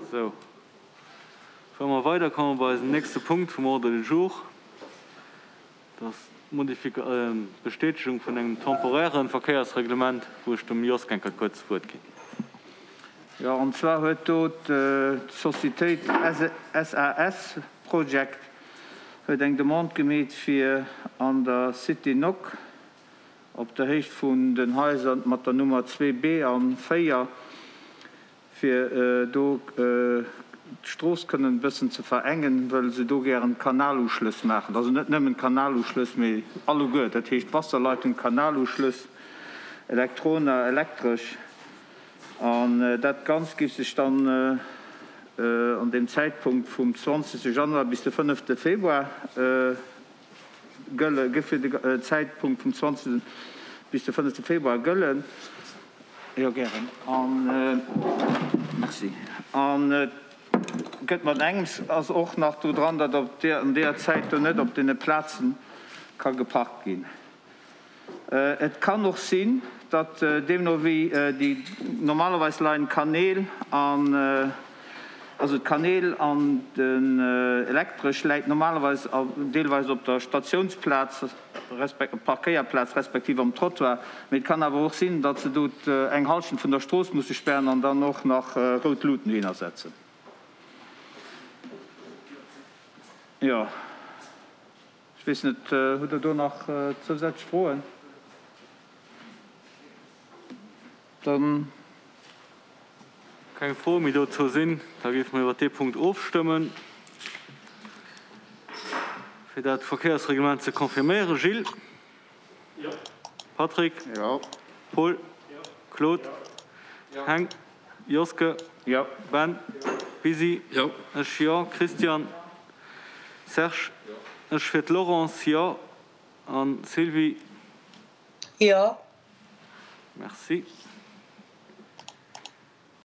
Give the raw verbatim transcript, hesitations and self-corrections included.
Sou, fuere mer weider, komme mer bei eisen nächste Punkt vum Ordre du jour. Dat ass d'Modifika-, d'Bestätegung vun engem temporären Verkéiersreglement, wou ech dem Jos Genker kuerz d'Wuert ginn. Jo, an zwar huet do d'Societéit SAS Project huet eng Demande gemeet fir an der Cité Nock op der Héicht vun den Haiser mat der Nummer zwee B an véier, fir do d'Strooss kënnen e bëssen ze verengen, wëll se do gären Kanaluschlëss maachen. Also net nëmmen Kanaluschlëss, mee alleguer, dat heescht Wasserleitung, Kanaluschlëss, Elektrona, Elektresch. An dat Ganzt géif sech dann an deem Zäitpunkt vum zwanzegste Januar bis de fënnefte Februar gëlle, géif fir de Zäitpunkt vum zwanzegste bis de fënnefte Februar gëllen. Jo, gären. An, merci. An et gëtt mat engems ass och nach do dran, datt op deer, an deeër Zäit do net op deene Plaze ka geparkt ginn. Et kann och sinn, datt deemno wéi déi, normalerweis leien d'Kanäl an, also d'Kanäl an den Elektresch läit normalerweis deelweis op der Statiounsplaz, resp. Parkéierplaz respektiv am Trottoir, mee et kann awer och sinn, datt se do eng Hallschent vun der Strooss musse spären an dann och nach rout Luuten dohinner setzen. Jo. Ech weess net, hutt Der do nach zousätzlech Froen? Dann. Keng Froe méi dozou sinn, da géife mer iwwert dee Punkt ofstëmmen, fir dat Verkéiersreglement ze confirméieren. Gilles? Jo. Patrick? Jo. Paul? Jo. Claude? Jo. Heng? Joske? Jo. Ben? Jo. Bisi? Jo. Ech jo. Christian? Serge? Jo. Ech fir d'Laurence, jo. An Sylvie? Jo. Merci.